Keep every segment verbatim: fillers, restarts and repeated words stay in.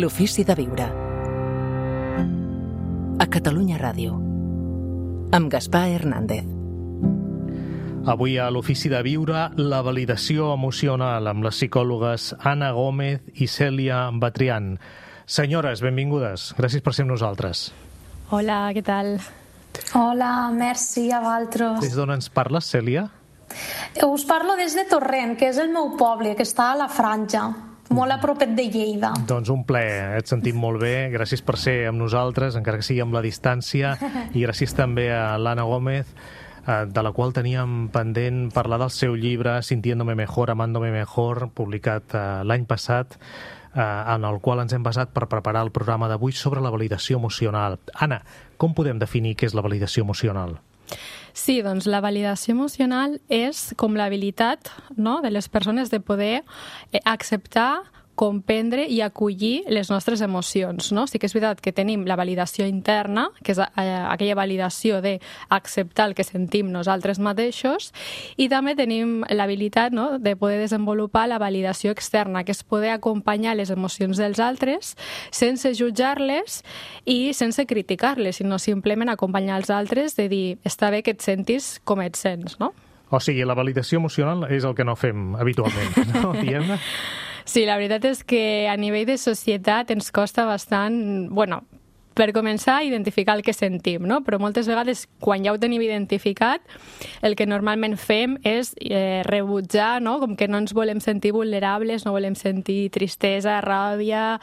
L'ofici de viure. A Catalunya Ràdio. Amb Gaspar Hernández. Avui a l'Ofici de Viure, la validació emocional amb les psicòlogues Anna Gómez i Cèlia Batrián. Senyores, benvingudes. Gràcies per ser amb nosaltres. Hola, què tal? Hola, merci a vosaltres. Des d'on ens parles, Cèlia? Us parlo des de Torrent, que és el meu poble, que està a la Franja, molt a propet de Lleida. Doncs un plaer, et sentim molt bé. Gràcies per ser amb nosaltres, encara que sigui amb la distància, i gràcies també a l'Anna Gómez, de la qual teníem pendent parlar del seu llibre Sintiéndome mejor, amándome mejor, publicat l'any passat, en el qual ens hem basat per preparar el programa d'avui sobre la validació emocional. Anna, com podem definir què és la validació emocional? Sí, doncs la validació emocional és com l'habilitat, no?, de les persones de poder acceptar, comprendre i acollir les nostres emocions, no? Sí que és veritat que tenim la validació interna, que és aquella validació d'acceptar el que sentim nosaltres mateixos, i també tenim l'habilitat, no?, de poder desenvolupar la validació externa, que és poder acompanyar les emocions dels altres sense jutjar-les i sense criticar-les, sinó simplement acompanyar els altres de dir, està bé que et sentis com et sents, no? O sigui, la validació emocional és el que no fem habitualment, no? Diguem-ne? Sí, la veritat és que a nivell de societat ens costa bastant, bueno, per començar a identificar el que sentim, no? Però moltes vegades, quan ja ho tenim identificat, el que normalment fem és eh, rebutjar, no? Com que no ens volem sentir vulnerables, no volem sentir tristesa, ràbia,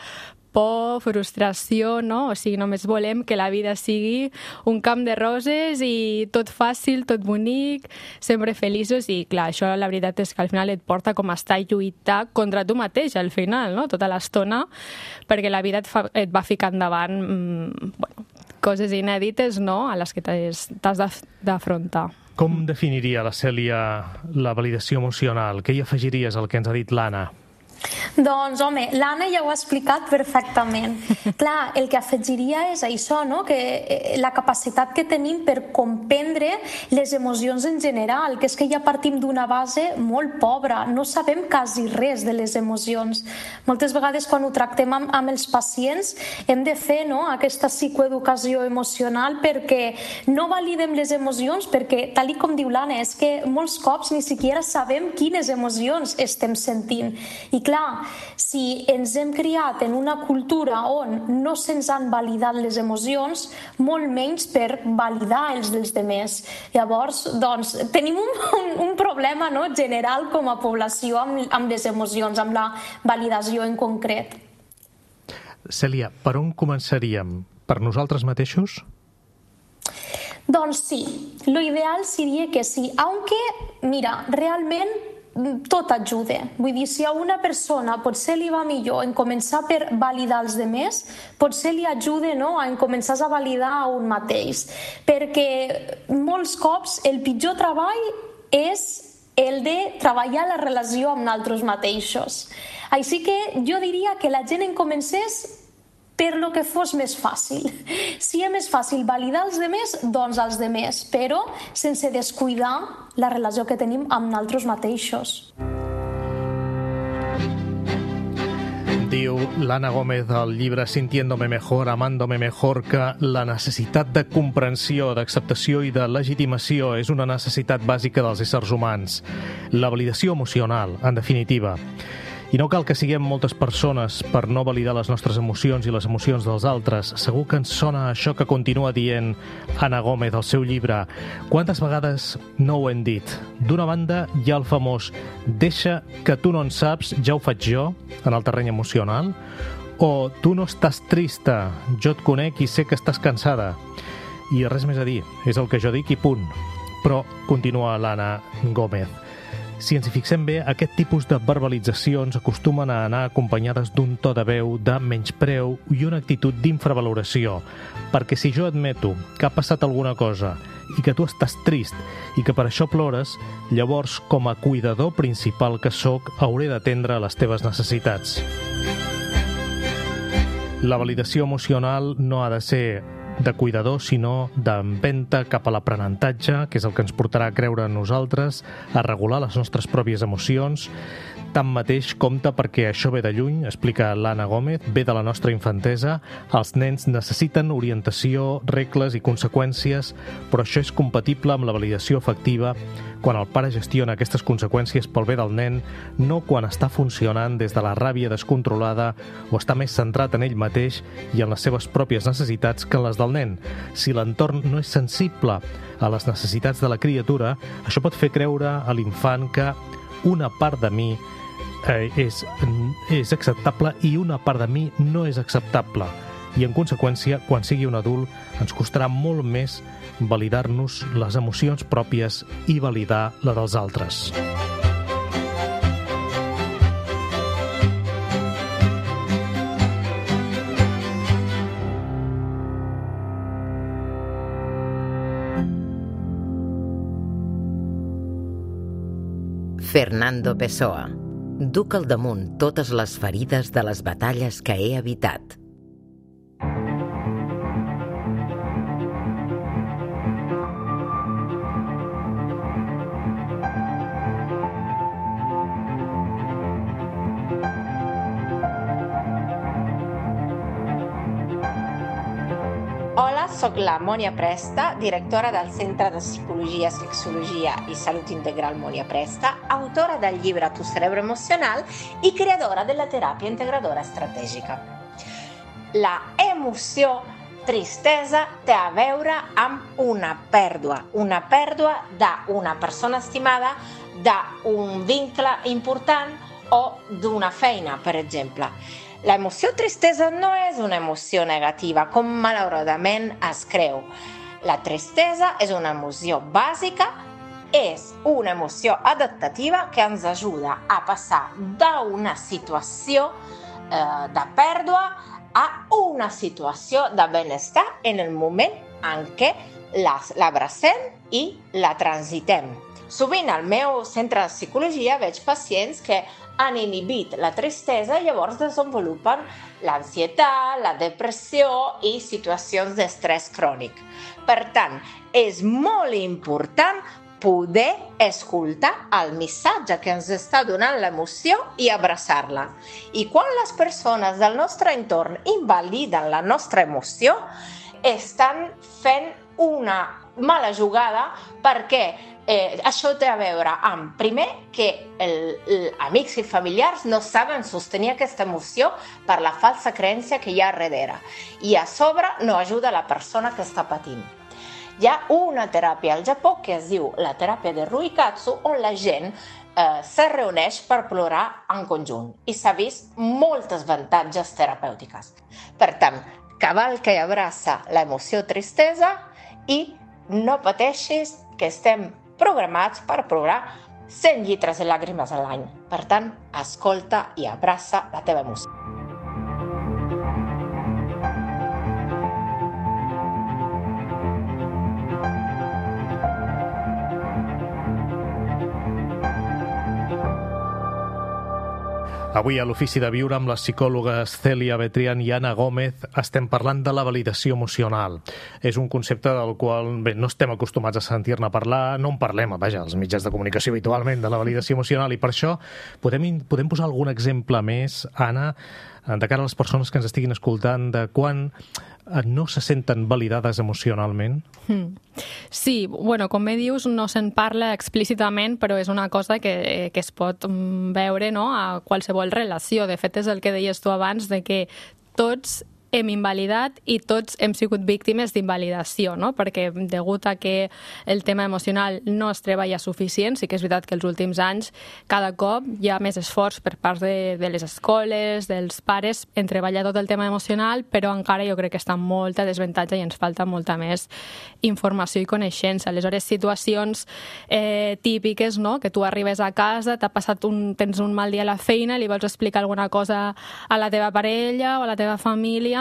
por, frustració, no? O sigui, només volem que la vida sigui un camp de roses i tot fàcil, tot bonic, sempre feliços, i clar, això la veritat és que al final et porta com a estar i lluitar contra tu mateix al final, no? Tota l'estona, perquè la vida et, fa, et va ficar endavant mmm, bueno, coses inèdites, no?, a les que t'has d'afrontar. Com definiria la Cèlia la validació emocional? Què hi afegiries al que ens ha dit l'Anna? Doncs, home, l'Anna ja ho ha explicat perfectament. Clar, el que afegiria és això, no?, que la capacitat que tenim per comprendre les emocions en general, que és que ja partim d'una base molt pobra, no sabem quasi res de les emocions. Moltes vegades quan ho tractem amb, amb els pacients hem de fer, no?, aquesta psicoeducació emocional perquè no validem les emocions, perquè, tal com diu l'Anna, és que molts cops ni siquiera sabem quines emocions estem sentint. I clar, si ens hem criat en una cultura on no se'ns han validat les emocions, molt menys per validar els dels demés. Llavors, doncs, tenim un, un, un problema, no?, general com a població amb, amb les emocions, amb la validació en concret. Cèlia, per on començaríem? Per nosaltres mateixos? Doncs sí, l'ideal seria que sí, aunque, mira, realment tot ajuda. Vull dir, si a una persona potser li va millor en començar per validar els demés, potser li ajuda, no?, en començar a validar a un mateix. Perquè molts cops el pitjor treball és el de treballar la relació amb nosaltres mateixos. Així que jo diria que la gent en comencés per lo que fos més fàcil. Si és més fàcil validar els demés, doncs els demés, però sense descuidar la relació que tenim amb nosaltres mateixos. Diu l'Anna Gómez al llibre Sintiéndome mejor, amándome mejor, que la necessitat de comprensió, d'acceptació i de legitimació és una necessitat bàsica dels éssers humans. La validació emocional, en definitiva. I no cal que siguem moltes persones per no validar les nostres emocions i les emocions dels altres. Segur que ens sona això que continua dient Anna Gómez al seu llibre. Quantes vegades no ho hem dit? D'una banda hi ha el famós «deixa que tu no en saps, ja ho faig jo», en el terreny emocional, o «tu no estàs trista, jo et conec i sé que estàs cansada». I res més a dir, és el que jo dic i punt. Però continua l'Anna Gómez. Si ens hi fixem bé, aquest tipus de verbalitzacions acostumen a anar acompanyades d'un to de veu de menyspreu i una actitud d'infravaloració, perquè si jo admeto que ha passat alguna cosa i que tu estàs trist i que per això plores, llavors, com a cuidador principal que sóc, hauré d'atendre les teves necessitats. La validació emocional no ha de ser de cuidador, sinó d'empenta cap a l'aprenentatge, que és el que ens portarà a creure en nosaltres, a regular les nostres pròpies emocions, Tanmateix, compte perquè això ve de lluny, explica l'Anna Gómez, ve de la nostra infantesa. Els nens necessiten orientació, regles i conseqüències, però això és compatible amb la validació afectiva quan el pare gestiona aquestes conseqüències pel bé del nen, no quan està funcionant des de la ràbia descontrolada o està més centrat en ell mateix i en les seves pròpies necessitats que en les del nen. Si l'entorn no és sensible a les necessitats de la criatura, això pot fer creure a l'infant que una part de mi eh, és, és acceptable i una part de mi no és acceptable. I, en conseqüència, quan sigui un adult, ens costarà molt més validar-nos les emocions pròpies i validar la dels altres. Fernando Pessoa. Duc al damunt totes les ferides de les batalles que he evitat. Hola, soc la Mònia Presta, directora del Centre de Psicologia, Sexologia i Salut Integral Mònia Presta, autora del llibre Tu cerebro emocional i creadora de la teràpia integradora estratègica. La emoció tristesa té a veure amb una pèrdua, una pèrdua d'una persona estimada, d'un vincle important o d'una feina, per exemple. L'emoció tristesa no és una emoció negativa, com malauradament es creu. La tristesa és una emoció bàsica, és una emoció adaptativa que ens ajuda a passar d'una situació eh, de pèrdua a una situació de benestar en el moment en què l'abracem i la transitem. Sovint al meu centre de psicologia veig pacients que han inhibit la tristesa i llavors desenvolupen l'ansietat, la depressió i situacions d'estrès crònic. Per tant, és molt important poder escoltar el missatge que ens està donant l'emoció i abraçar-la. I quan les persones del nostre entorn invaliden la nostra emoció, estan fent una mala jugada perquè Eh, això té a veure amb, primer, que els amics i familiars no saben sostenir aquesta emoció per la falsa creença que hi ha darrere. I a sobre no ajuda la persona que està patint. Hi ha una teràpia al Japó que es diu la teràpia de Ruikatsu, on la gent eh, se reuneix per plorar en conjunt. I s'ha vist moltes avantatges terapèutiques. Per tant, cavalca i abraça l'emoció tristesa i no pateixis que estem programats per plorar cent litres de llàgrimes a l'any. Per tant, escolta i abraça la teva emoció. Avui a l'Ofici de Viure amb les psicòlogues Cèlia Betrián i Anna Gómez estem parlant de la validació emocional. És un concepte del qual bé, no estem acostumats a sentir-ne parlar, no en parlem, vaja, als mitjans de comunicació habitualment de la validació emocional, i per això podem, podem posar algun exemple més, Anna, de cara a les persones que ens estiguin escoltant, de quan no se senten validades emocionalment? Hmm. Sí, bueno, com bé dius, no se'n parla explícitament, però és una cosa que, que es pot veure, no?, a qualsevol relació. De fet, és el que deies tu abans, de que tots hem invalidat i tots hem sigut víctimes d'invalidació, no? Perquè degut a que el tema emocional no es treballa suficient, sí que és veritat que els últims anys cada cop hi ha més esforç per part de, de les escoles, dels pares, en treballar tot el tema emocional, però encara jo crec que està en molta desavantatge i ens falta molta més informació i coneixença. Aleshores, situacions eh, típiques, no?, que tu arribes a casa, t'ha passat un, tens un mal dia a la feina, li vols explicar alguna cosa a la teva parella o a la teva família,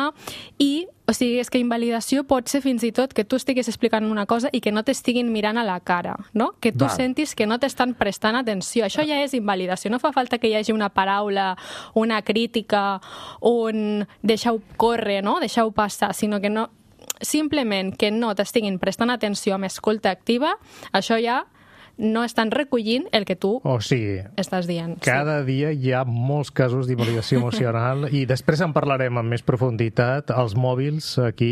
i, o sigui, és que invalidació pot ser fins i tot que tu estiguis explicant una cosa i que no t'estiguin mirant a la cara, no? Que tu Val. sentis que no t'estan prestant atenció. Això ja és invalidació. No fa falta que hi hagi una paraula, una crítica, un deixeu córrer, no?, deixeu passar, sinó que no, simplement que no t'estiguin prestant atenció amb escolta activa, això ja no estan recollint el que tu o sigui, estàs dient. Cada sí. dia hi ha molts casos d'invalidació emocional i després en parlarem amb més profunditat. Els mòbils aquí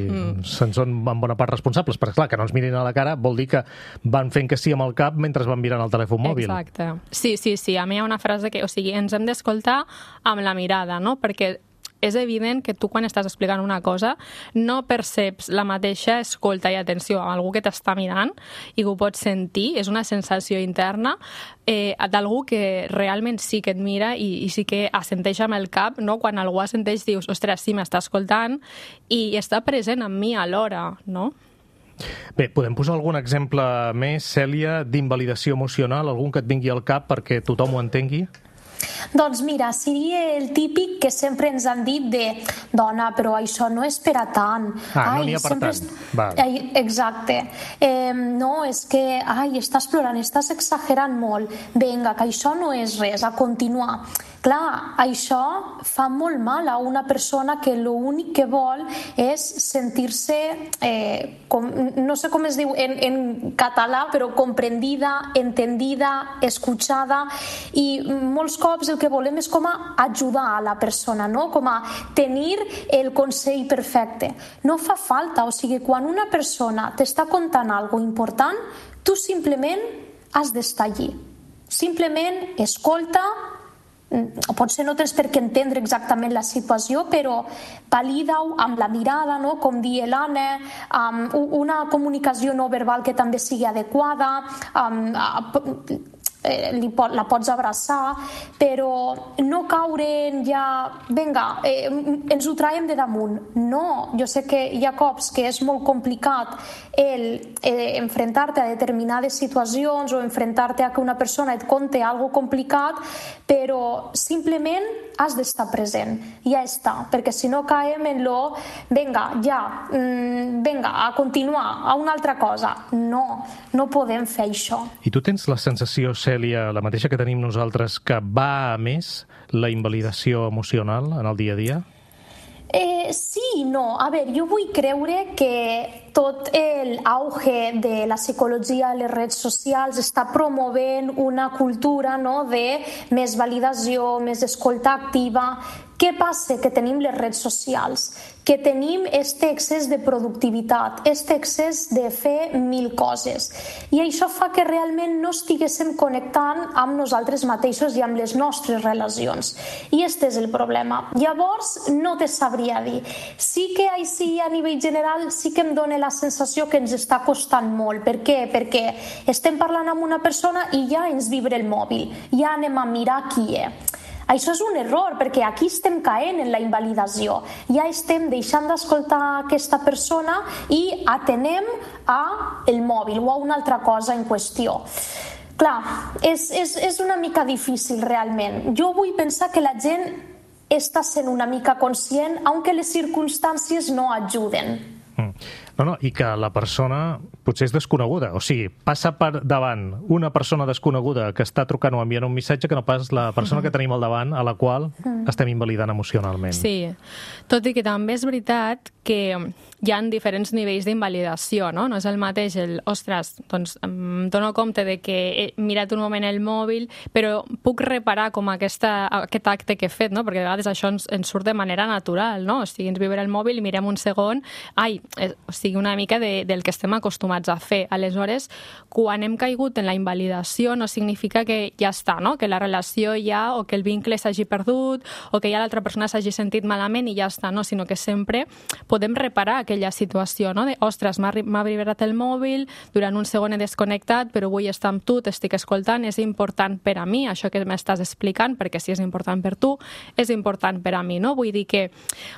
mm. se'n són en bona part responsables, perquè clar, que no ens mirin a la cara vol dir que van fent que sí amb el cap mentre van mirant el telèfon mòbil. Exacte. Sí, sí, sí. A mi hi ha una frase que, o sigui, ens hem d'escoltar amb la mirada, no? Perquè és evident que tu quan estàs explicant una cosa no perceps la mateixa escolta i atenció a algú que t'està mirant i que ho pots sentir, és una sensació interna eh, d'algú que realment sí que et mira i, i sí que assenteix amb el cap, no? Quan algú assenteix dius, ostres, sí, m'està escoltant i està present amb mi alhora, no? Bé, podem posar algun exemple més, Cèlia, d'invalidació emocional, algun que et vingui al cap perquè tothom ho entengui? Doncs mira, seria el típic que sempre ens han dit de dona, però això no és per a tant. Ah, ai, no n'hi ha per tant. És... Val. Ai, exacte. Eh, no, és que ai, estàs plorant, estàs exagerant molt. Vinga, que això no és res, a continuar. Clar, això fa molt mal a una persona que l'únic que vol és sentir-se, eh, com, no sé com es diu en, en català, però comprendida, entendida, escuchada, i molts cops el que volem és com a ajudar a la persona, no? Com a tenir el consell perfecte. No fa falta, o sigui, quan una persona t'està contant alguna important, tu simplement has d'estar allí. Simplement escolta, potser no tens per què entendre exactament la situació, però valida-ho amb la mirada, no? Com dir l'Anna, amb una comunicació no verbal que també sigui adequada, amb, eh, li pot, la pots abraçar, però no caure en ja, vinga, eh, ens ho traiem de damunt. No, jo sé que hi ha cops que és molt complicat el eh, enfrontar-te a determinades situacions o enfrontar-te a que una persona et conte algo complicat, però simplement has d'estar present, ja està, perquè si no caem en lo, vinga, ja, mm, vinga, a continuar, a una altra cosa. No, no podem fer això. I tu tens la sensació, Cèlia, la mateixa que tenim nosaltres, que va a més la invalidació emocional en el dia a dia? Eh, sí i no. A veure, jo vull creure que tot l'auge de la psicologia a les redes socials està promovent una cultura, no?, de més validació, més escolta activa. Què passa? Que tenim les redes socials, que tenim este excés de productivitat, este excés de fer mil coses. I això fa que realment no estiguéssim connectant amb nosaltres mateixos i amb les nostres relacions. I este és el problema. Llavors, no te sabria dir. Sí que així, a nivell general, sí que em dona la sensació que ens està costant molt. Per què? Perquè estem parlant amb una persona i ja ens vibra el mòbil. Ja anem a mirar qui és. Això és un error, perquè aquí estem caent en la invalidació. Ja estem deixant d'escoltar aquesta persona i atenem a el mòbil o a una altra cosa en qüestió. Clar, és, és, és una mica difícil realment. Jo vull pensar que la gent està sent una mica conscient, aunque les circumstàncies no ajuden. Mm. No, no, i que la persona potser és desconeguda, o sigui, passa per davant una persona desconeguda que està trucant o enviant un missatge que no pas la persona que tenim al davant a la qual estem invalidant emocionalment. Sí, tot i que també és veritat que hi ha diferents nivells d'invalidació, no? No és el mateix el, ostres, doncs em dono compte de que he mirat un moment el mòbil, però puc reparar com aquesta, aquest acte que he fet, no? Perquè a vegades això ens, ens surt de manera natural, no? O sigui, ens vibra el mòbil i mirem un segon, ai, eh, o sigui, una mica de, del que estem acostumats a fer. Aleshores, quan hem caigut en la invalidació no significa que ja està, no? Que la relació ja, o que el vincle s'hagi perdut, o que ja l'altra persona s'hagi sentit malament i ja està, no? Sinó que sempre podem reparar aquella situació, no? De, ostres, m'ha vibrat el mòbil, durant un segon he desconnectat, però vull estar amb tu, t'estic escoltant, és important per a mi, això que m'estàs explicant, perquè si és important per tu, és important per a mi, no? Vull dir que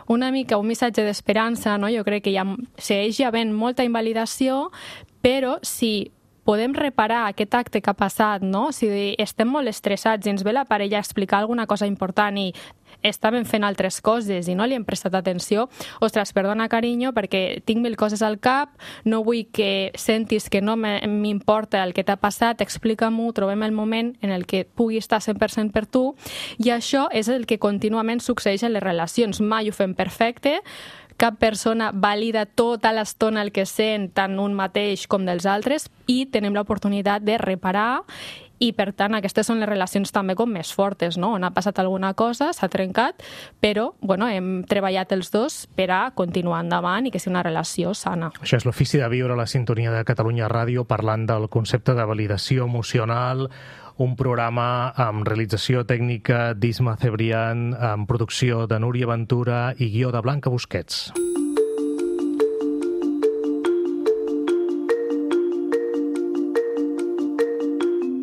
una mica un missatge d'esperança, no? Jo crec que ja segueix havent molta invalidació, però si podem reparar aquest acte que ha passat, no? Si estem molt estressats i ens ve la parella a explicar alguna cosa important i estàvem fent altres coses i no li hem prestat atenció, ostres, perdona carinyo, perquè tinc mil coses al cap, no vull que sentis que no m'importa el que t'ha passat, explica-m'ho, trobem el moment en el que pugui estar cent per cent per tu, i això és el que contínuament succeeix en les relacions. Mai ho fem perfecte, cap persona valida tota l'estona el que sent tant un mateix com dels altres i tenim l'oportunitat de reparar i, per tant, aquestes són les relacions també com més fortes, no? On ha passat alguna cosa, s'ha trencat, però bueno, hem treballat els dos per a continuar endavant i que sigui una relació sana. Això és l'Ofici de Viure, la sintonia de Catalunya Ràdio, parlant del concepte de validació emocional, un programa amb realització tècnica d'Isma Cebrián, amb producció de Núria Ventura i guió de Blanca Busquets.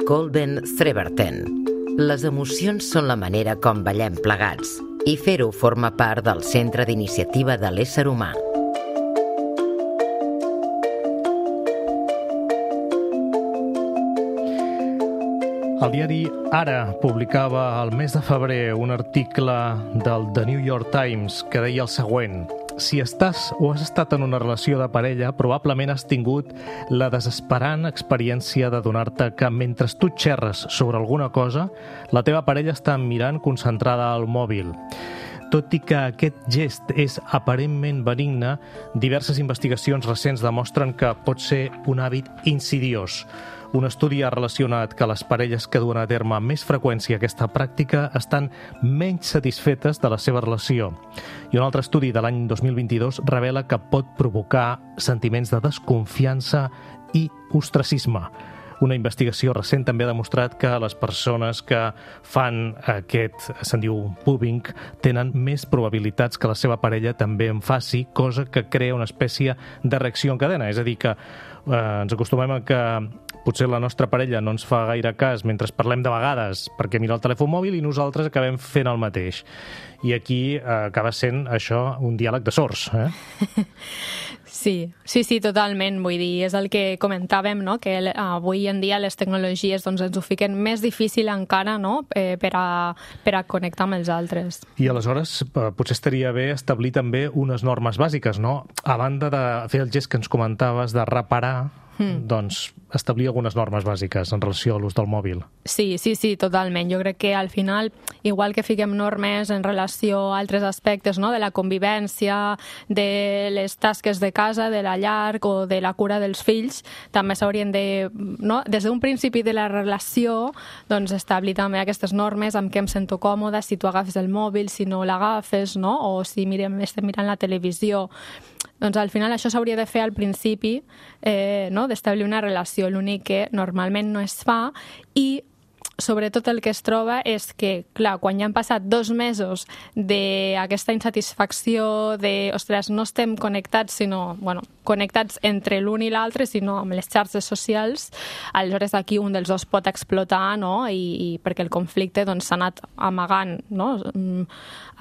Kolben Threberten. Les emocions són la manera com ballem plegats i fer-ho forma part del centre d'iniciativa de l'ésser humà. El diari Ara publicava al mes de febrer un article del The New York Times que deia el següent: si estàs o has estat en una relació de parella, probablement has tingut la desesperant experiència d'adonar-te que mentre tu xerres sobre alguna cosa, la teva parella està mirant concentrada al mòbil. Tot i que aquest gest és aparentment benigne, diverses investigacions recents demostren que pot ser un hàbit insidiós. Un estudi ha relacionat que les parelles que duen a terme amb més freqüència aquesta pràctica estan menys satisfetes de la seva relació. I un altre estudi de l'any dos mil vint-i-dos revela que pot provocar sentiments de desconfiança i ostracisme. Una investigació recent també ha demostrat que les persones que fan aquest, se'n diu pubbing, tenen més probabilitats que la seva parella també en faci, cosa que crea una espècie de reacció en cadena. És a dir, que eh, ens acostumem a que potser la nostra parella no ens fa gaire cas mentre parlem de vegades perquè mira el telèfon mòbil i nosaltres acabem fent el mateix. I aquí eh, acaba sent això un diàleg de sords, eh? Sí, sí, sí, totalment. Vull dir, és el que comentàvem, no? Que avui en dia les tecnologies doncs, ens ho fiquen més difícil encara, no? eh, per, a, per a connectar amb els altres. I aleshores eh, potser estaria bé establir també unes normes bàsiques, no? A banda de fer el gest que ens comentaves de reparar, Mm. doncs establir algunes normes bàsiques en relació a l'ús del mòbil. Sí, sí, sí, totalment. Jo crec que al final, igual que fiquem normes en relació a altres aspectes, no? De la convivència, de les tasques de casa, de la llar o de la cura dels fills, també s'haurien de, no? Des d'un principi de la relació, doncs establir també aquestes normes amb què em sento còmoda, si tu agafes el mòbil, si no l'agafes, no? O si mirem, estem mirant la televisió. Doncs al final això s'hauria de fer al principi, eh, no? D'establir una relació. L'únic que normalment no es fa i sobretot el que es troba és que, clar, quan ja han passat dos mesos d'aquesta insatisfacció de, ostres, no estem connectats, sinó, bueno, connectats entre l'un i l'altre, sinó amb les xarxes socials, aleshores aquí un dels dos pot explotar, no? I, i perquè el conflicte doncs, s'ha anat amagant, no?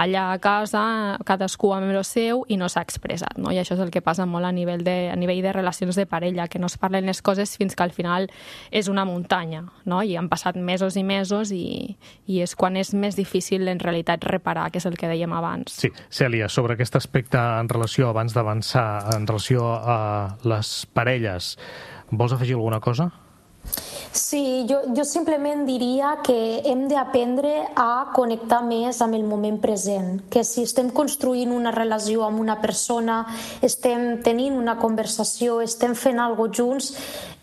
Allà a casa, cadascú amb el seu i no s'ha expressat, no? I això és el que passa molt a nivell de, a nivell de relacions de parella, que no es parlen les coses fins que al final és una muntanya, no? I han passat mesos i mesos i, i és quan és més difícil en realitat reparar, que és el que dèiem abans. Sí, Cèlia, sobre aquest aspecte en relació, abans d'avançar, en relació a les parelles, vols afegir alguna cosa? Sí, jo, jo simplement diria que hem d'aprendre a connectar més amb el moment present, que si estem construint una relació amb una persona, estem tenint una conversació, estem fent alguna cosa junts,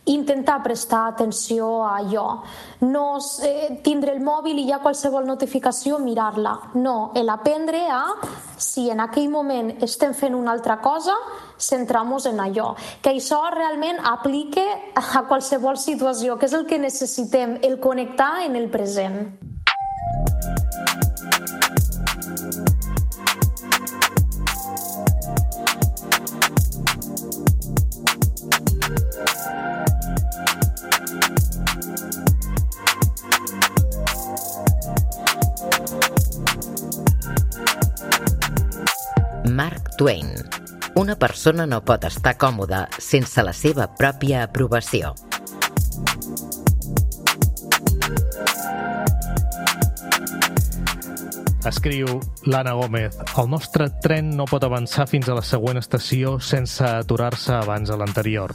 intentar prestar atenció a allò. No eh, tindre el mòbil i ja qualsevol notificació mirar-la. No, l'aprendre a, si en aquell moment estem fent una altra cosa, centrar-nos en allò. Que això realment aplique a qualsevol situació, que és el que necessitem, el connectar en el present. Mark Twain. Una persona no pot estar còmoda sense la seva pròpia aprovació. Escriu l'Anna Gómez: el nostre tren no pot avançar fins a la següent estació sense aturar-se abans a l'anterior.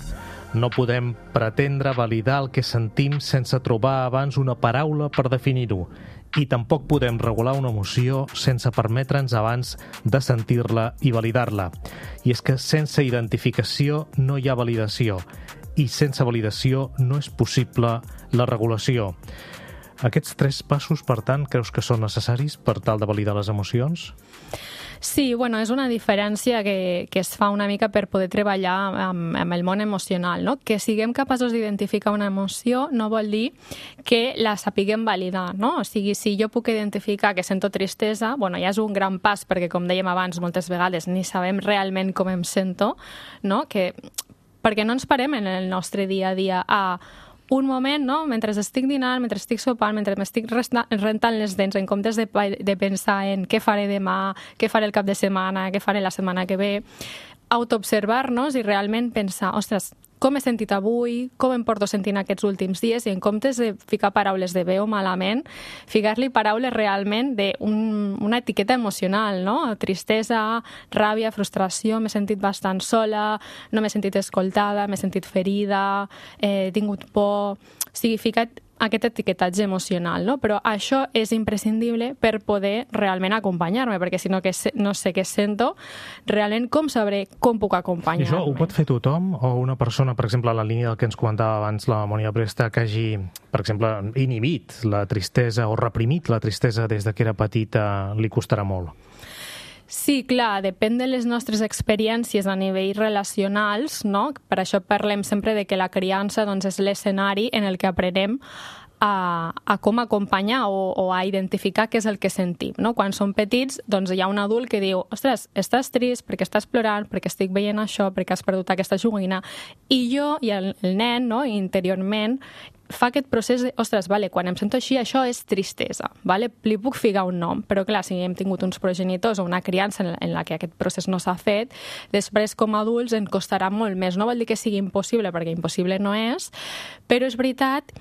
No podem pretendre validar el que sentim sense trobar abans una paraula per definir-ho. I tampoc podem regular una emoció sense permetre'ns abans de sentir-la i validar-la. I és que sense identificació no hi ha validació. I sense validació no és possible la regulació. Aquests tres passos, per tant, creus que són necessaris per tal de validar les emocions? Sí, bueno, és una diferència que, que es fa una mica per poder treballar amb, amb el món emocional, no? Que siguem capaços d'identificar una emoció no vol dir que la sapiguem validar, no? O sigui, si jo puc identificar que sento tristesa, bueno, ja és un gran pas, perquè com dèiem abans, moltes vegades ni sabem realment com em sento, no? Que, perquè no ens parem en el nostre dia a dia a un moment, no? Mentre estic dinant, mentre estic sopant, mentre m'estic rentant les dents, en comptes de, de pensar en què faré demà, què faré el cap de setmana, què faré la setmana que ve, autoobservar-nos i realment pensar, ostres, com he sentit avui, com em porto sentint aquests últims dies, i en comptes de ficar paraules de bé o malament, ficar-li paraules realment d'una etiqueta emocional, no? Tristesa, ràbia, frustració, m'he sentit bastant sola, no m'he sentit escoltada, m'he sentit ferida, he tingut por... O sigui, ficat aquest etiquetatge emocional, no? Però això és imprescindible per poder realment acompanyar-me, perquè si no, que no sé què sento, realment com sabré com puc acompanyar-me? I això ho pot fer tothom o una persona, per exemple, a la línia del que ens comentava abans la Mònica Presta, que hagi, per exemple, inhibit la tristesa o reprimit la tristesa des de que era petita, li costarà molt? Sí, clar, depèn de les nostres experiències a nivell relacionals, no? Per això parlem sempre de que la criança doncs, és l'escenari en el que aprenem a, a com acompanyar o, o a identificar què és el que sentim, no? Quan som petits, doncs hi ha un adult que diu, ostres, estàs trist perquè estàs plorant, perquè estic veient això, perquè has perdut aquesta joguina, i jo i el, el nen, no? Interiorment, fa aquest procés de, ostres, vale, quan em sento així, això és tristesa, vale? Li puc ficar un nom, però clar, si hem tingut uns progenitors o una criança en, en la que aquest procés no s'ha fet, després com a adults ens costarà molt més. No vol dir que sigui impossible, perquè impossible no és, però és veritat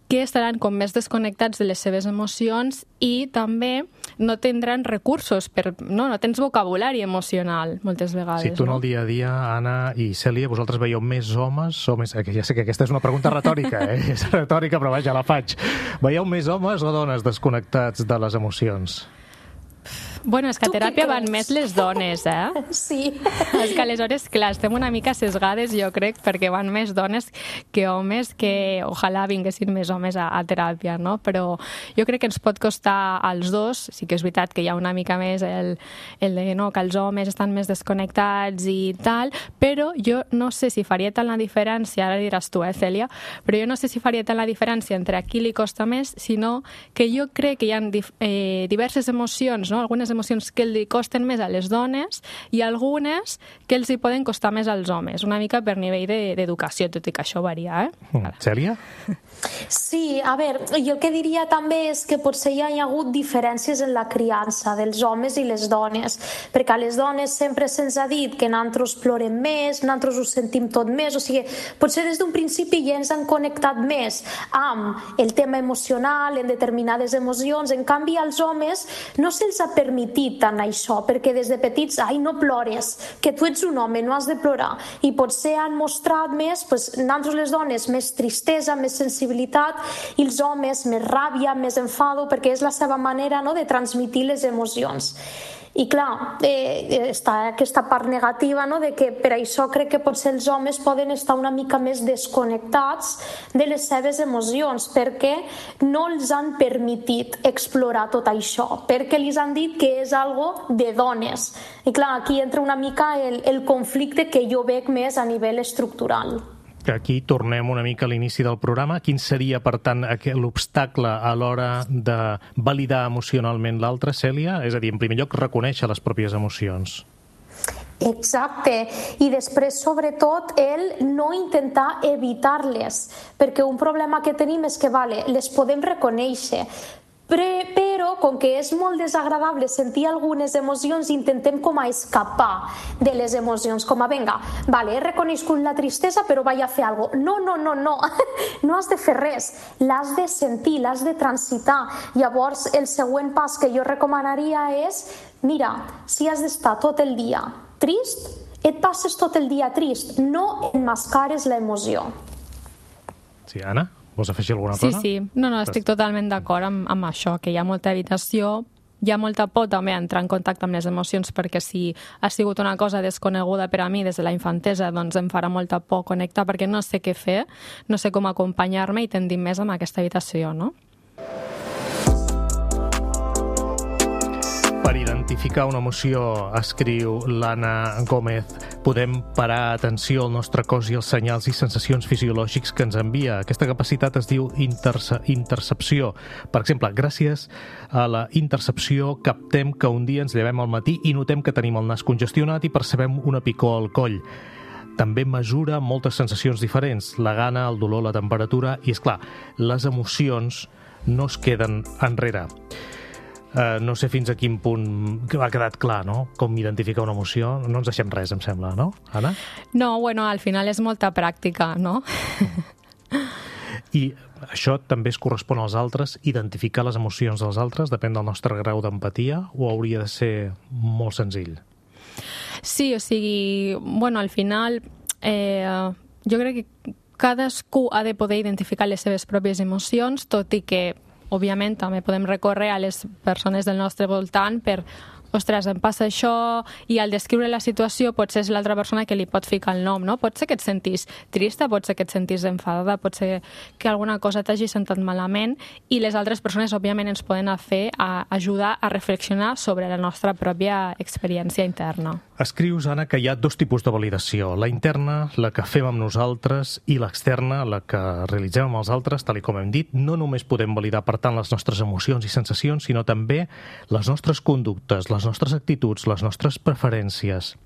que estaran com més desconnectats de les seves emocions i també no tindran recursos, per, no, no tens vocabulari emocional moltes vegades. Si tu en no? el dia a dia, Anna i Cèlia, vosaltres veieu més homes o més... Ja sé que aquesta és una pregunta retòrica, eh? És retòrica, però vaja, la faig. Veieu més homes o dones desconnectats de les emocions? Bueno, és que a teràpia van més les dones, eh? Sí. És que aleshores, clar, estem una mica sesgades, jo crec, perquè van més dones que homes, que ojalà vinguessin més homes a, a teràpia, no? Però jo crec que ens pot costar als dos, sí que és veritat que hi ha una mica més el, el de no, que els homes estan més desconnectats i tal, però jo no sé si faria tant la diferència, ara diràs tu, eh, Cèlia, però jo no sé si faria tant la diferència entre a qui li costa més, sinó que jo crec que hi ha eh, diverses emocions, no? Algunes emocions que li costen més a les dones i algunes que els hi poden costar més als homes, una mica per nivell d'educació, de, tot i que això varia, eh? Mm. Cèlia? Sí, a veure, jo el que diria també és que potser hi ha hagut diferències en la criança dels homes i les dones, perquè a les dones sempre se'ns ha dit que nosaltres plorem més, nosaltres ho sentim tot més, o sigui, potser des d'un principi ja ens han connectat més amb el tema emocional, en determinades emocions, en canvi als homes no se'ls ha permitit tant això, perquè des de petits, ai, no plores, que tu ets un home, no has de plorar, i potser han mostrat més, pues, nosaltres les dones, més tristesa, més sensibilitat, i els homes més ràbia, més enfado, perquè és la seva manera, no?, de transmitir les emocions. I clar, eh, està aquesta part negativa, no?, de que per això crec que potser els homes poden estar una mica més desconnectats de les seves emocions, perquè no els han permitit explorar tot això, perquè els han dit que és algo de dones. I clar, aquí entra una mica el, el conflicte que jo veig més a nivell estructural. Aquí tornem una mica a l'inici del programa. Quin seria, per tant, l'obstacle a l'hora de validar emocionalment l'altre, Cèlia? És a dir, en primer lloc, reconèixer les pròpies emocions. Exacte, i després sobretot el no intentar evitar-les, perquè un problema que tenim és que vale, les podem reconèixer, però com que és molt desagradable sentir algunes emocions, intentem com a escapar de les emocions, com a venga, vale, he reconegut la tristesa però vaig a fer alguna cosa. No, no, no, no, no has de fer res, l'has de sentir, l'has de transitar. Llavors el següent pas que jo recomanaria és, mira, si has d'estar tot el dia trist, et passes tot el dia trist, no emmascares l'emoció. Sí, Anna? Vols afegir alguna Sí, cosa? sí. No, no, estic totalment d'acord amb, amb això, que hi ha molta evitació, hi ha molta por també a entrar en contacte amb les emocions, perquè si ha sigut una cosa desconeguda per a mi des de la infantesa, doncs em farà molta por connectar perquè no sé què fer, no sé com acompanyar-me i tendim més amb aquesta evitació, no? Per identificar una emoció, escriu l'Anna Gómez, podem parar atenció al nostre cos i als senyals i sensacions fisiològics que ens envia. Aquesta capacitat es diu interce intercepció. Per exemple, gràcies a la intercepció captem que un dia ens llevem al matí i notem que tenim el nas congestionat i percebem una picor al coll. També mesura moltes sensacions diferents, la gana, el dolor, la temperatura i, és clar, les emocions no es queden enrere. Uh, no sé fins a quin punt ha quedat clar, no?, com identificar una emoció. No ens deixem res, em sembla, no, Anna? No, bueno, al final és molta pràctica, no? I això també es correspon als altres, identificar les emocions dels altres, depèn del nostre grau d'empatia, o hauria de ser molt senzill? Sí, o sigui, bueno, al final eh, jo crec que cadascú ha de poder identificar les seves pròpies emocions, tot i que òbviament també podem recórrer a les persones del nostre voltant per, ostres, em passa això, i al descriure la situació potser és l'altra persona que li pot ficar el nom, no? Pot ser que et sentis trista, pot ser que et sentis enfadada, pot ser que alguna cosa t'hagi sentat malament, i les altres persones òbviament ens poden fer a ajudar a reflexionar sobre la nostra pròpia experiència interna. Escrius, Anna, que hi ha dos tipus de validació. La interna, la que fem amb nosaltres, i l'externa, la que realitzem amb els altres, tal com hem dit. No només podem validar, per tant, les nostres emocions i sensacions, sinó també les nostres conductes, les nostres actituds, les nostres preferències.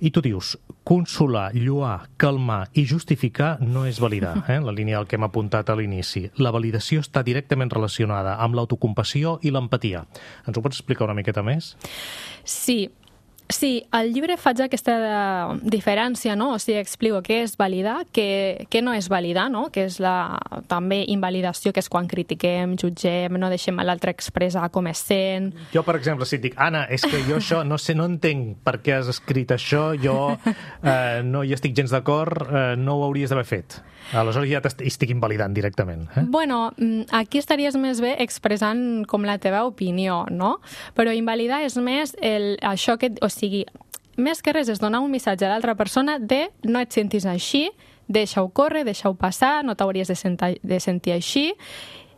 I tu dius, consolar, lloar, calmar i justificar no és validar, eh? La línia del que hem apuntat a l'inici. La validació està directament relacionada amb l'autocompassió i l'empatia. Ens ho pots explicar una miqueta més? Sí. Sí, al llibre faig aquesta diferència, no? O sigui, explico què és validar, què, què no és validar, no? Que és la també invalidació, que és quan critiquem, jutgem, no deixem a l'altre expressar com es sent. Jo, per exemple, si et dic, Anna, és que jo això no sé, no entenc per què has escrit això, jo eh, no hi estic gens d'acord, eh, no ho hauries d'haver fet. Aleshores ja t'estic invalidant directament. Eh? Bueno, aquí estaries més bé expressant com la teva opinió, no? Però invalidar és més el, això que... O sigui, més que res és donar un missatge a l'altra persona de no et sentis així, deixa-ho córrer, deixa-ho passar, no t'hauries de, sentir, de sentir així,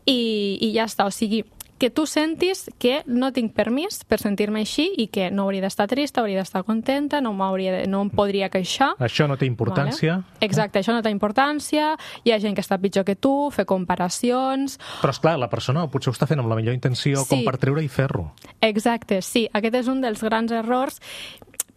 i, i ja està. O sigui, que tu sentis que no tinc permís per sentir-me així i que no hauria d'estar trista, hauria d'estar contenta, no, de, no em podria queixar. Això no té importància. Vale? Exacte, això no té importància, hi ha gent que està pitjor que tu, fer comparacions... Però, esclar, la persona potser ho està fent amb la millor intenció, sí, com per treure-hi ferro. Exacte, sí, aquest és un dels grans errors,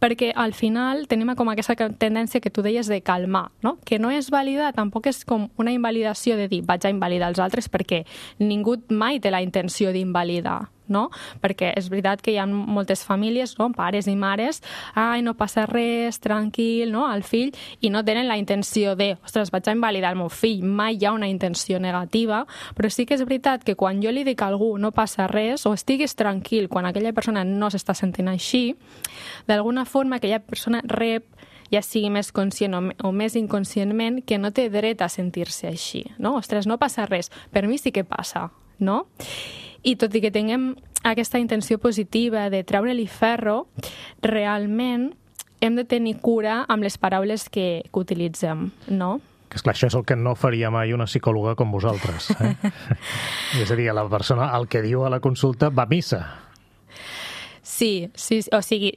perquè al final tenim com aquesta tendència que tu deies de calmar, no? Que no és validar, tampoc és com una invalidació de dir vaig a invalidar els altres, perquè ningú mai té la intenció d'invalidar, no? Perquè és veritat que hi ha moltes famílies, no? Pares i mares, ai, no passa res, tranquil, no? Al fill, i no tenen la intenció de, ostres, vaig a invalidar el meu fill, mai hi ha una intenció negativa, però sí que és veritat que quan jo li dic a algú no passa res, o estiguis tranquil quan aquella persona no s'està sentint així, d'alguna forma aquella persona rep, ja sigui més conscient o, o més inconscientment, que no té dret a sentir-se així, no? Ostres, no passa res, per mi sí que passa, no? I tot i que tinguem aquesta intenció positiva de treure-li ferro, realment hem de tenir cura amb les paraules que, que utilitzem, no? Que esclar, això és el que no faria mai una psicòloga com vosaltres. Eh? És a dir, la persona el que diu a la consulta va a missa. Sí, sí, o sigui,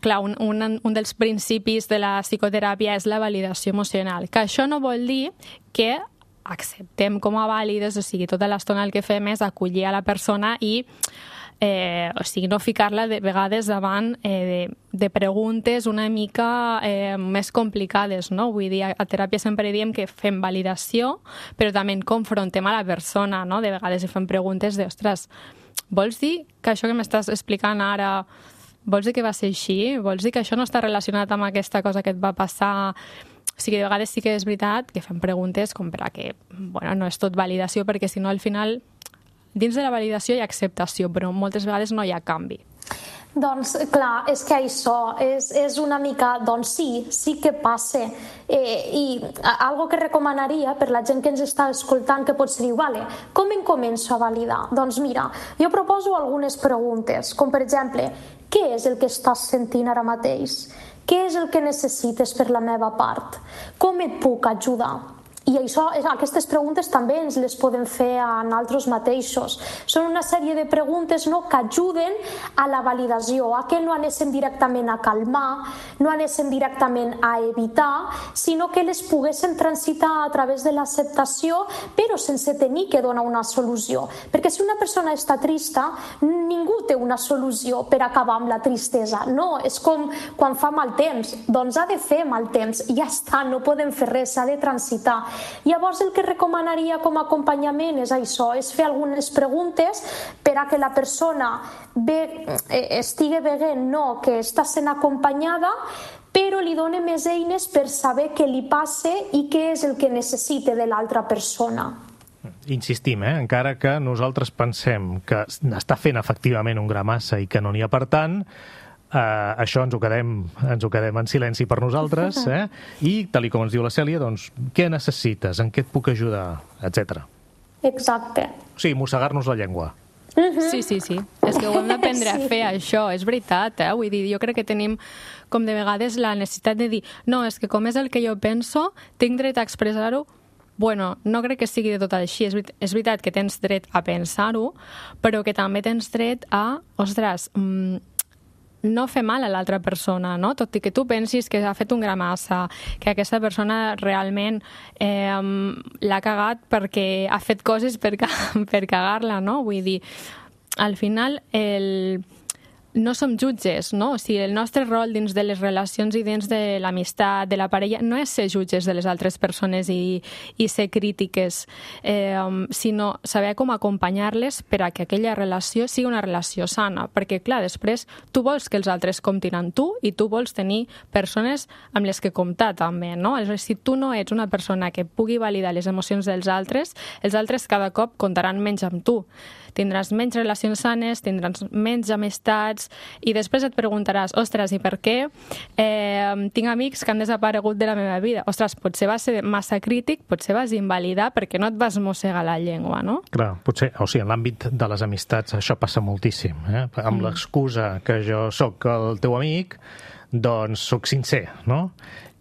clar, un, un, un dels principis de la psicoteràpia és la validació emocional, que això no vol dir que acceptem com a vàlides, o sigui, tota l'estona el que fem és acollir a la persona i eh, o sigui, no ficar-la de vegades davant eh, de, de preguntes una mica eh, més complicades, no? Vull dir, a teràpia sempre diem que fem validació, però també confrontem a la persona, no? De vegades fem preguntes de, ostres, vols dir que això que m'estàs explicant ara, vols dir que va ser així? Vols dir que això no està relacionat amb aquesta cosa que et va passar? O sigui, de vegades sí que és veritat que fem preguntes com per a que, bueno, no és tot validació, perquè si no al final, dins de la validació hi ha acceptació, però moltes vegades no hi ha canvi. Doncs clar, és que això és, és una mica, doncs sí, sí que passa. Eh, I algo que recomanaria per la gent que ens està escoltant que potser diu, vale, com em començo a validar? Doncs mira, jo proposo algunes preguntes, com per exemple, què és el que estàs sentint ara mateix? Què és el que necessites per la meva part? Com et puc ajudar? I això, aquestes preguntes també ens les podem fer a nosaltres mateixos. Són una sèrie de preguntes, no, que ajuden a la validació, a que no anéssim directament a calmar, no anéssim directament a evitar, sinó que les poguéssim transitar a través de l'acceptació, però sense tenir que donar una solució. Perquè si una persona està trista, ningú té una solució per acabar amb la tristesa. No, és com quan fa mal temps. Doncs ha de fer mal temps, ja està, no podem fer res, s'ha de transitar. Llavors el que recomanaria com a acompanyament és això, és fer algunes preguntes per a que la persona ve, estigui veient no, que està sent acompanyada, però li doni més eines per saber què li passa i què és el que necessita de l'altra persona. Insistim, eh? Encara que nosaltres pensem que està fent efectivament un gra massa i que no n'hi ha per tant, Uh, això ens ho, quedem, ens ho quedem en silenci per nosaltres, eh? I, tal com ens diu la Cèlia, doncs, què necessites, en què et puc ajudar, etcètera. Exacte. O sigui, mossegar-nos la llengua. Sí, sí, sí. És que ho hem d'aprendre sí. a fer, això. És veritat, eh? Vull dir, jo crec que tenim, com de vegades, la necessitat de dir no, és que com és el que jo penso, tinc dret a expressar-ho. Bueno, no crec que sigui de tot així. És, és veritat que tens dret a pensar-ho, però que també tens dret a, ostres, mmm, no fer mal a l'altra persona, no? Tot i que tu pensis que ha fet un gra massa, que aquesta persona realment eh, l'ha cagat perquè ha fet coses per, per cagar-la, no? Vull dir, al final el... no som jutges, no? O sigui, el nostre rol dins de les relacions i dins de l'amistat, de la parella, no és ser jutges de les altres persones i, i ser crítiques, eh, sinó saber com acompanyar-les per a que aquella relació sigui una relació sana. Perquè, clar, després tu vols que els altres comptin amb tu i tu vols tenir persones amb les que comptar també, no? Aleshores, si tu no ets una persona que pugui validar les emocions dels altres, els altres cada cop comptaran menys amb tu. Tindràs menys relacions sanes, tindràs menys amistats i després et preguntaràs, ostres, i per què eh, tinc amics que han desaparegut de la meva vida? Ostres, potser vas ser massa crític, potser vas invalidar perquè no et vas mossegar la llengua, no? Clar, potser, o sigui, en l'àmbit de les amistats això passa moltíssim, eh? Amb mm. l'excusa que jo sóc el teu amic, doncs sóc sincer, no?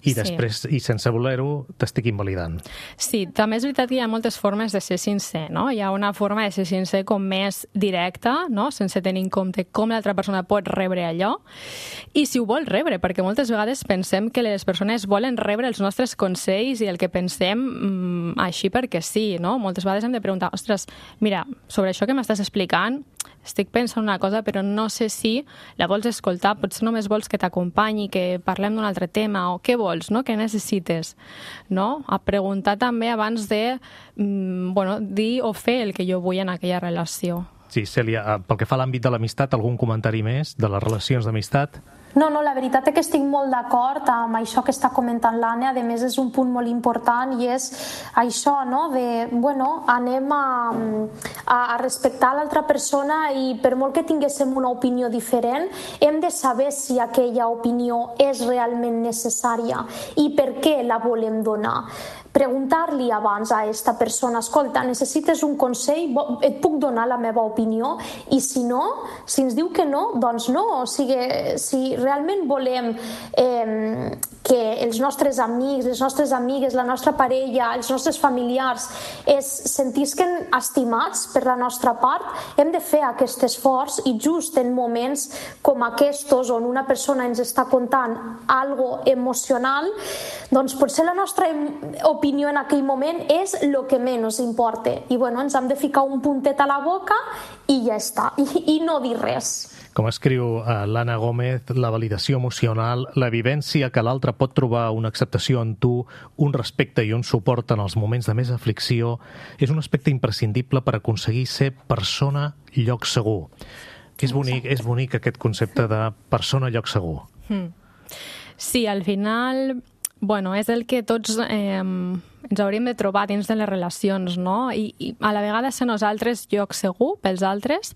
I després, sí. i sense voler-ho, t'estic invalidant. Sí, també és veritat que hi ha moltes formes de ser sincer, no? Hi ha una forma de ser sincer com més directa, no? Sense tenir en compte com l'altra persona pot rebre allò, i si ho vol rebre, perquè moltes vegades pensem que les persones volen rebre els nostres consells i el que pensem mmm, així perquè sí, no? Moltes vegades hem de preguntar, ostres, mira, sobre això que m'estàs explicant, estic pensant una cosa, però no sé si la vols escoltar, potser només vols que t'acompanyi, que parlem d'un altre tema, o què vols, no? Què necessites, no? A preguntar també abans de, mm, bueno, dir o fer el que jo vull en aquella relació. Sí, Cèlia, pel que fa a l'àmbit de l'amistat, algun comentari més de les relacions d'amistat? No, no, la veritat és que estic molt d'acord amb això que està comentant l'Anna. A més, és un punt molt important i és això, no? De, bueno, anem a, a, a respectar l'altra persona i per molt que tinguéssim una opinió diferent, hem de saber si aquella opinió és realment necessària i per què la volem donar. Preguntar-li abans a aquesta persona, escolta, necessites un consell, et puc donar la meva opinió? I si no, si ens diu que no, doncs no. O sigui, si realment volem eh, que els nostres amics, les nostres amigues, la nostra parella, els nostres familiars es sentisquen estimats per la nostra part, hem de fer aquest esforç i just en moments com aquests on una persona ens està contant algo emocional, doncs potser la nostra opinió en aquell moment és el que menys importa. I bueno, ens hem de ficar un puntet a la boca i ja està, i, i no dir res. Com escriu uh, l'Anna Gómez, la validació emocional, la vivència que l'altre pot trobar una acceptació en tu, un respecte i un suport en els moments de més aflicció, és un aspecte imprescindible per aconseguir ser persona lloc segur. És bonic, és bonic aquest concepte de persona lloc segur. Mm. Sí, al final, bueno, és el que tots eh, ens hauríem de trobar dins de les relacions, no? I, i a la vegada ser nosaltres lloc segur pels altres,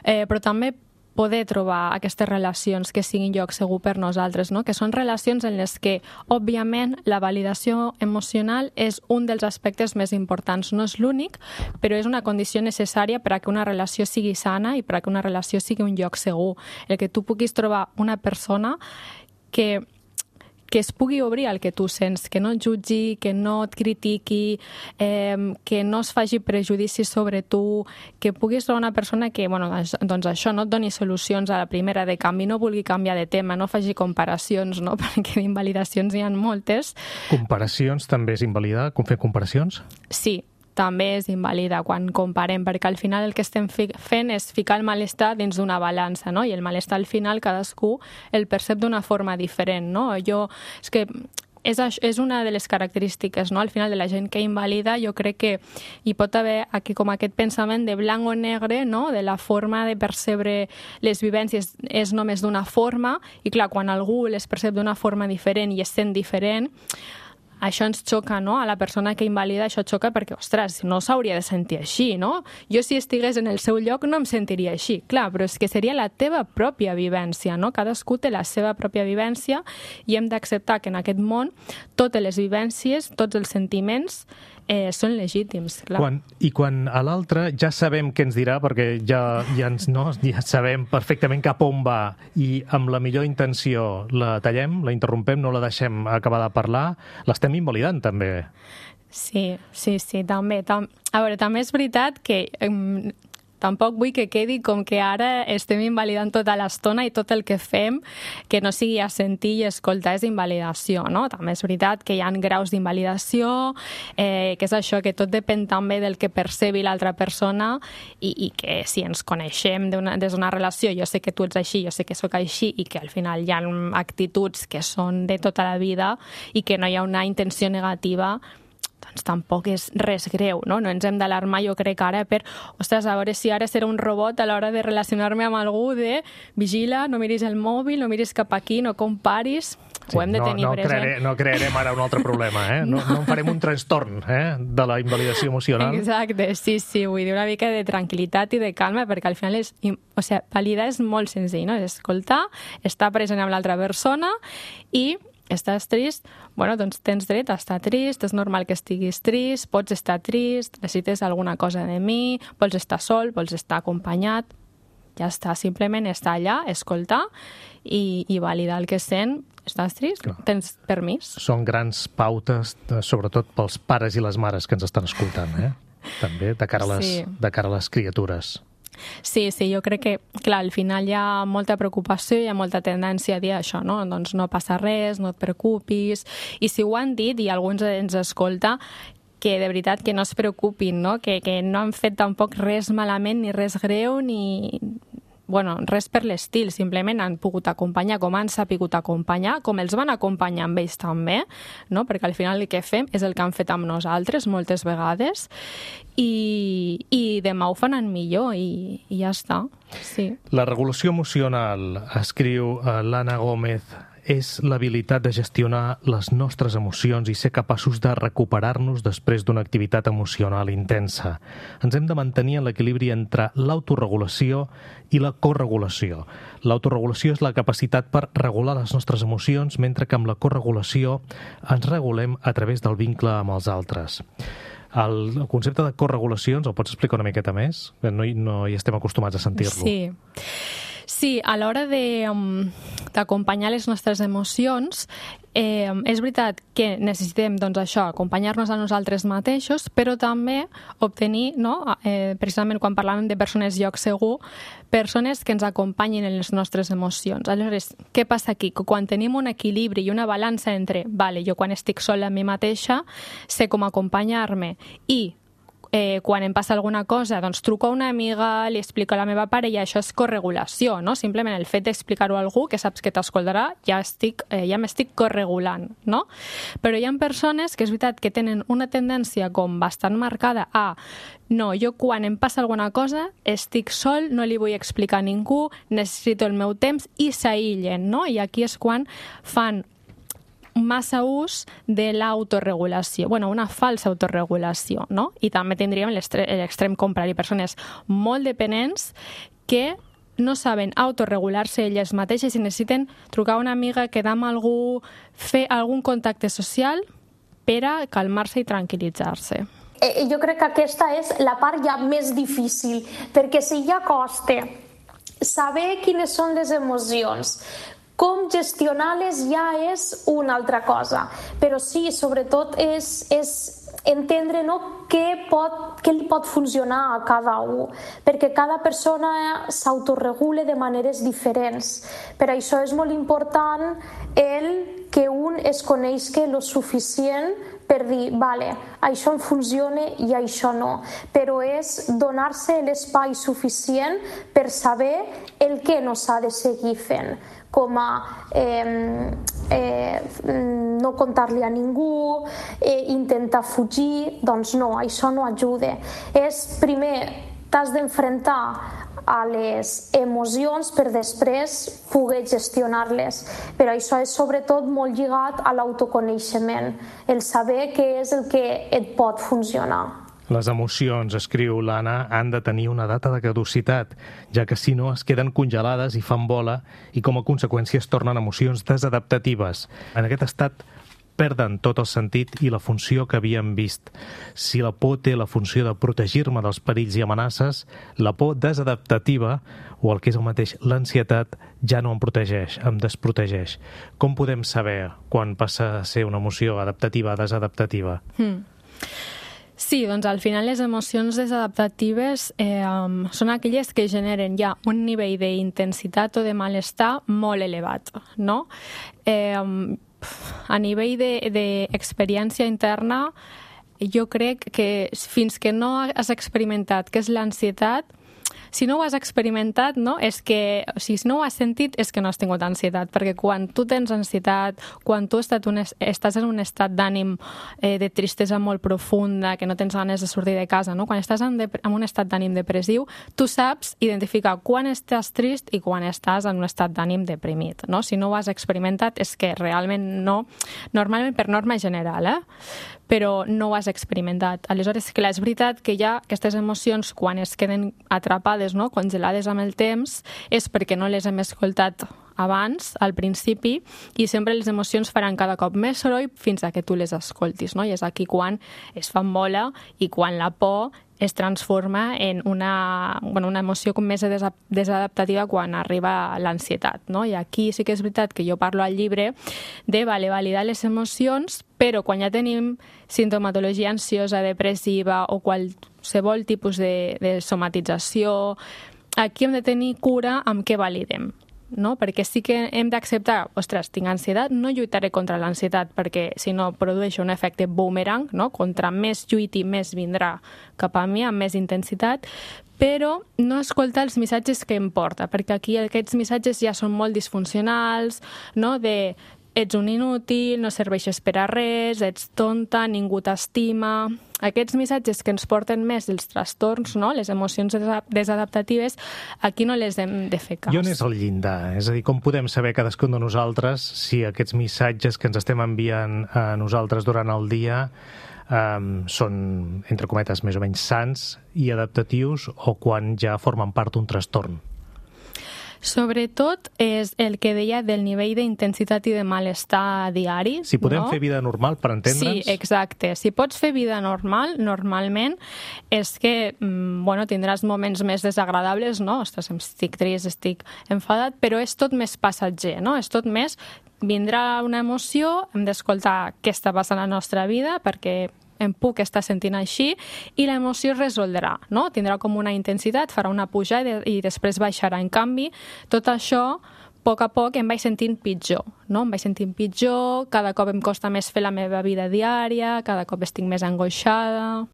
eh, però també poder trobar aquestes relacions que siguin lloc segur per nosaltres, no? Que són relacions en les que, òbviament, la validació emocional és un dels aspectes més importants. No és l'únic, però és una condició necessària per a que una relació sigui sana i per a que una relació sigui un lloc segur. El que tu puguis trobar una persona que que es pugui obrir al que tu sents, que no et jutgi, que no et critiqui, eh, que no es faci prejudicis sobre tu, que puguis trobar una persona que, bueno, doncs això, no et doni solucions a la primera de canvi, no vulgui canviar de tema, no faci comparacions, no? Perquè d'invalidacions hi ha moltes. Comparacions també és invalidar? Com fer comparacions? Sí, també és invalida quan comparem, perquè al final el que estem fent és ficar el malestar dins d'una balança, no? I el malestar al final cadascú el percep d'una forma diferent, no? Jo, és que és, és una de les característiques, no? Al final de la gent que invalida, jo crec que hi pot haver aquí com aquest pensament de blanc o negre, no? De la forma de percebre les vivències és només d'una forma, i clar, quan algú les percep d'una forma diferent i es sent diferent, això ens xoca, no? A la persona que invalida això xoca perquè, ostres, no s'hauria de sentir així, no? Jo si estigués en el seu lloc no em sentiria així. Clar, però és que seria la teva pròpia vivència, no? Cadascú té la seva pròpia vivència i hem d'acceptar que en aquest món totes les vivències, tots els sentiments eh, són legítims. Clar. Quan, I quan a l'altre ja sabem què ens dirà, perquè ja, ja, ens, no, ja sabem perfectament cap on va i amb la millor intenció la tallem, la interrompem, no la deixem acabar de parlar, l'estem invalidant també. Sí, sí, sí, també. Tam... A veure, també és veritat que um, tampoc vull que quedi com que ara estem invalidant tota l'estona i tot el que fem que no sigui a sentir i escoltar és invalidació, no? També és veritat que hi ha graus d'invalidació, eh, que és això, que tot depèn també del que percebi l'altra persona i, i que si ens coneixem des d'una relació, jo sé que tu ets així, jo sé que sóc així i que al final hi ha actituds que són de tota la vida i que no hi ha una intenció negativa, doncs tampoc és res greu, no? No ens hem d'alarmar, jo crec, ara per, ostres, a veure si ara serà un robot a l'hora de relacionar-me amb algú de vigila, no miris el mòbil, no miris cap aquí, no comparis... Sí, ho hem de tenir no, no present. Crearé, no crearem ara un altre problema, eh? No, no en farem un trastorn eh? De la invalidació emocional. Exacte, sí, sí, vull dir una mica de tranquil·litat i de calma, perquè al final és, o sigui, validar és molt senzill, no? És escoltar, estar present amb l'altra persona i estàs trist, bueno, doncs tens dret a estar trist, és normal que estiguis trist, pots estar trist, necessites alguna cosa de mi, vols estar sol, vols estar acompanyat, ja està, simplement estar allà, escoltar i, i validar el que sent. Estàs trist? Clar. Tens permís? Són grans pautes, sobretot pels pares i les mares que ens estan escoltant, eh? També de cara a les, sí. de cara a les criatures. Sí, sí, jo crec que, clar, al final hi ha molta preocupació, hi ha molta tendència a dir això, no? Doncs no passa res, no et preocupis, i si ho han dit i algú ens escolta, que de veritat que no es preocupin, no? Que, que no han fet tampoc res malament ni res greu ni... Bueno, res per l'estil, simplement han pogut acompanyar com han sapigut acompanyar, com els van acompanyar amb ells també, no? Perquè al final el que fem és el que han fet amb nosaltres moltes vegades i, i demà ho faran millor i, i ja està. Sí. La regulació emocional, escriu l'Anna Gómez, és l'habilitat de gestionar les nostres emocions i ser capaços de recuperar-nos després d'una activitat emocional intensa. Ens hem de mantenir en l'equilibri entre l'autoregulació i la corregulació. L'autoregulació és la capacitat per regular les nostres emocions, mentre que amb la corregulació ens regulem a través del vincle amb els altres. El concepte de corregulació, ens el pots explicar una miqueta més? No hi, no hi estem acostumats a sentir-lo. Sí. Sí, a l'hora d'acompanyar um, les nostres emocions, eh, és veritat que necessitem, doncs això, acompanyar-nos a nosaltres mateixos, però també obtenir, no, eh, precisament quan parlàvem de persones lloc segur, persones que ens acompanyin en les nostres emocions. Aleshores, què passa aquí? Que quan tenim un equilibri i una balança entre, vale, jo quan estic sola amb mi mateixa, sé com acompanyar-me i eh, quan em passa alguna cosa, doncs truco a una amiga, li explico a la meva parella, això és corregulació, no? Simplement el fet d'explicar-ho a algú que saps que t'escoltarà, ja estic, eh, ja m'estic corregulant, no? Però hi ha persones que és veritat que tenen una tendència com bastant marcada a no, jo quan em passa alguna cosa estic sol, no li vull explicar a ningú, necessito el meu temps i s'aïllen, no? I aquí és quan fan massa ús de l'autoregulació, bueno, una falsa autorregulació, no? I també tindríem l'extrem contrari, persones molt dependents que no saben autorregular-se elles mateixes i necessiten trucar a una amiga, quedar amb algú, fer algun contacte social per a calmar-se i tranquil·litzar-se. Eh, jo crec que aquesta és la part ja més difícil, perquè si ja costa saber quines són les emocions, com gestionar-les ja és una altra cosa, però sí, sobretot és, és entendre, no, què, pot, què li pot funcionar a cada un, perquè cada persona s'autoregula de maneres diferents. Per això és molt important el que un es coneixi lo suficient per dir, vale, això em funciona i això no, però és donar-se l'espai suficient per saber el que no s'ha de seguir fent, com a eh, eh, no contar-li a ningú, eh, intentar fugir, doncs no, això no ajuda. És, primer, t'has d'enfrontar a les emocions per després poder gestionar-les. Però això és sobretot molt lligat a l'autoconeixement, el saber què és el que et pot funcionar. Les emocions, escriu l'Anna, han de tenir una data de caducitat, ja que si no es queden congelades i fan bola i com a conseqüència es tornen emocions desadaptatives. En aquest estat perden tot el sentit i la funció que havíem vist. Si la por té la funció de protegir-me dels perills i amenaces, la por desadaptativa, o el que és el mateix, l'ansietat, ja no em protegeix, em desprotegeix. Com podem saber quan passa a ser una emoció adaptativa o desadaptativa? Hmm. Sí, doncs al final les emocions desadaptatives eh, um, són aquelles que generen ja un nivell d'intensitat o de malestar molt elevat, no? Eh, um, a nivell d'experiència interna, jo crec que fins que no has experimentat què és l'ansietat, si no ho has experimentat, no? És que, o sigui, si no ho has sentit, és que no has tingut ansietat, perquè quan tu tens ansietat, quan tu estat un, estàs en un estat d'ànim eh, de tristesa molt profunda, que no tens ganes de sortir de casa, no? Quan estàs en, en un estat d'ànim depressiu, tu saps identificar quan estàs trist i quan estàs en un estat d'ànim deprimit, no? Si no ho has experimentat, és que realment no, normalment per norma general, eh? Però no ho has experimentat. Aleshores, clar, és veritat que ja aquestes emocions, quan es queden atrapades, no, congelades amb el temps, és perquè no les hem escoltat abans, al principi, i sempre les emocions faran cada cop més soroll fins a que tu les escoltis, no? I és aquí quan es fan bola i quan la por es transforma en una, bueno, una emoció com més desadaptativa quan arriba l'ansietat, no? I aquí sí que és veritat que jo parlo al llibre de vale, validar les emocions, però quan ja tenim sintomatologia ansiosa, depressiva o qualsevol tipus de, de somatització, aquí hem de tenir cura amb què validem, no? Perquè sí que hem d'acceptar, ostres, tinc ansietat, no lluitaré contra l'ansietat perquè si no produeix un efecte boomerang, no? Contra més lluiti, més vindrà cap a mi amb més intensitat, però no escoltar els missatges que em porta, perquè aquí aquests missatges ja són molt disfuncionals, no? De ets un inútil, no serveixes per a res, ets tonta, ningú t'estima. Aquests missatges que ens porten més els trastorns, no? Les emocions desadaptatives, aquí no les hem de fer cas. I on és el llindar? És a dir, com podem saber cadascun de nosaltres si aquests missatges que ens estem enviant a nosaltres durant el dia um, són, entre cometes, més o menys sants i adaptatius o quan ja formen part d'un trastorn? Sobretot és el que deia del nivell d'intensitat i de malestar diari. Si podem no? fer vida normal, per entendre'ns? Sí, exacte. Si pots fer vida normal, normalment, és que bueno, tindràs moments més desagradables, no? Ostres, estic trist, estic enfadat, però és tot més passatger, no? És tot més... Vindrà una emoció, hem d'escoltar què està passant a la nostra vida, perquè em puc estar sentint així, i l'emoció es resoldrà, no? Tindrà com una intensitat, farà una pujada i després baixarà. En canvi, tot això, a poc a poc em vaig sentint pitjor, no? Em vaig sentint pitjor, cada cop em costa més fer la meva vida diària, cada cop estic més angoixada...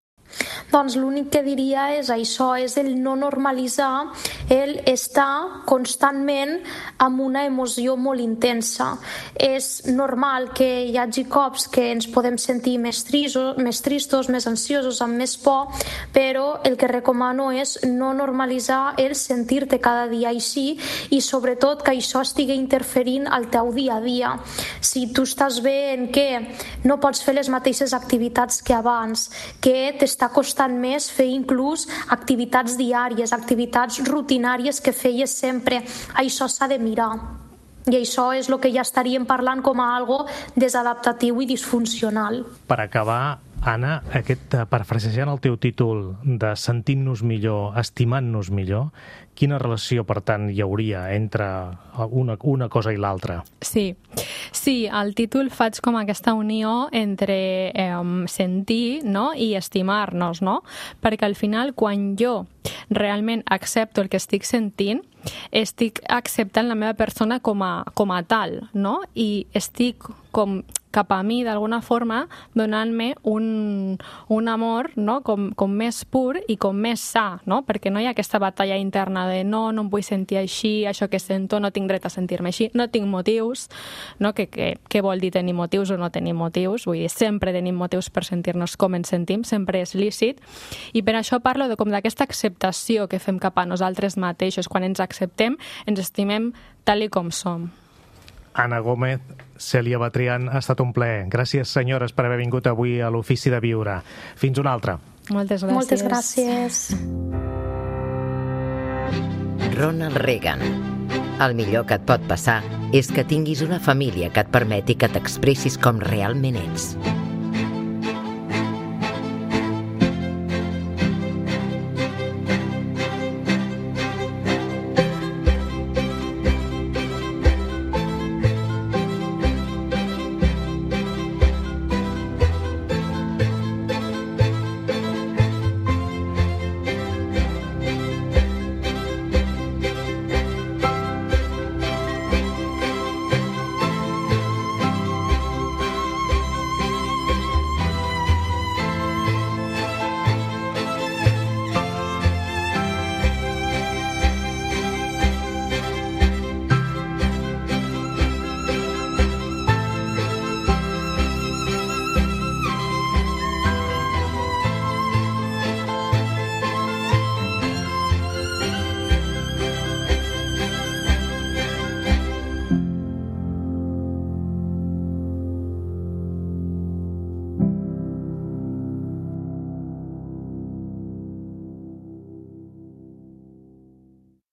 Doncs l'únic que diria és això, és el no normalitzar el estar constantment amb una emoció molt intensa. És normal que hi hagi cops que ens podem sentir més tristos, més, tristos, més ansiosos, amb més por, però el que recomano és no normalitzar el sentir-te cada dia així i sobretot que això estigui interferint al teu dia a dia. Si tu estàs bé en què no pots fer les mateixes activitats que abans, que t'està costant més fer inclús activitats diàries, activitats rutinàries que feies sempre. Això s'ha de mirar. I això és el que ja estaríem parlant com a algo desadaptatiu i disfuncional. Per acabar, Anna, aquest, parafrasejant el teu títol de sentint-nos millor, estimant-nos millor, quina relació, per tant, hi hauria entre una, una cosa i l'altra? Sí, sí, al títol faig com aquesta unió entre eh, sentir, no?, i estimar-nos, no? Perquè al final, quan jo realment accepto el que estic sentint, estic acceptant la meva persona com a, com a tal, no? I estic com cap a mi, d'alguna forma, donant-me un, un amor, no?, com, com més pur i com més sa, no? Perquè no hi ha aquesta batalla interna de no, no em vull sentir així, això que sento, no tinc dret a sentir-me així, no tinc motius, no? Que, que, què vol dir tenir motius o no tenir motius? Vull dir, sempre tenim motius per sentir-nos com ens sentim, sempre és lícit, i per això parlo de com d'aquesta acceptació que fem cap a nosaltres mateixos. Quan ens acceptem, ens estimem tal i com som. Anna Gómez, Cèlia Batrián, ha estat un plaer. Gràcies, senyores, per haver vingut avui a l'Ofici de Viure. Fins una altra. Moltes gràcies. Moltes gràcies. Ronald Reagan. El millor que et pot passar és que tinguis una família que et permeti que t'expressis com realment ets.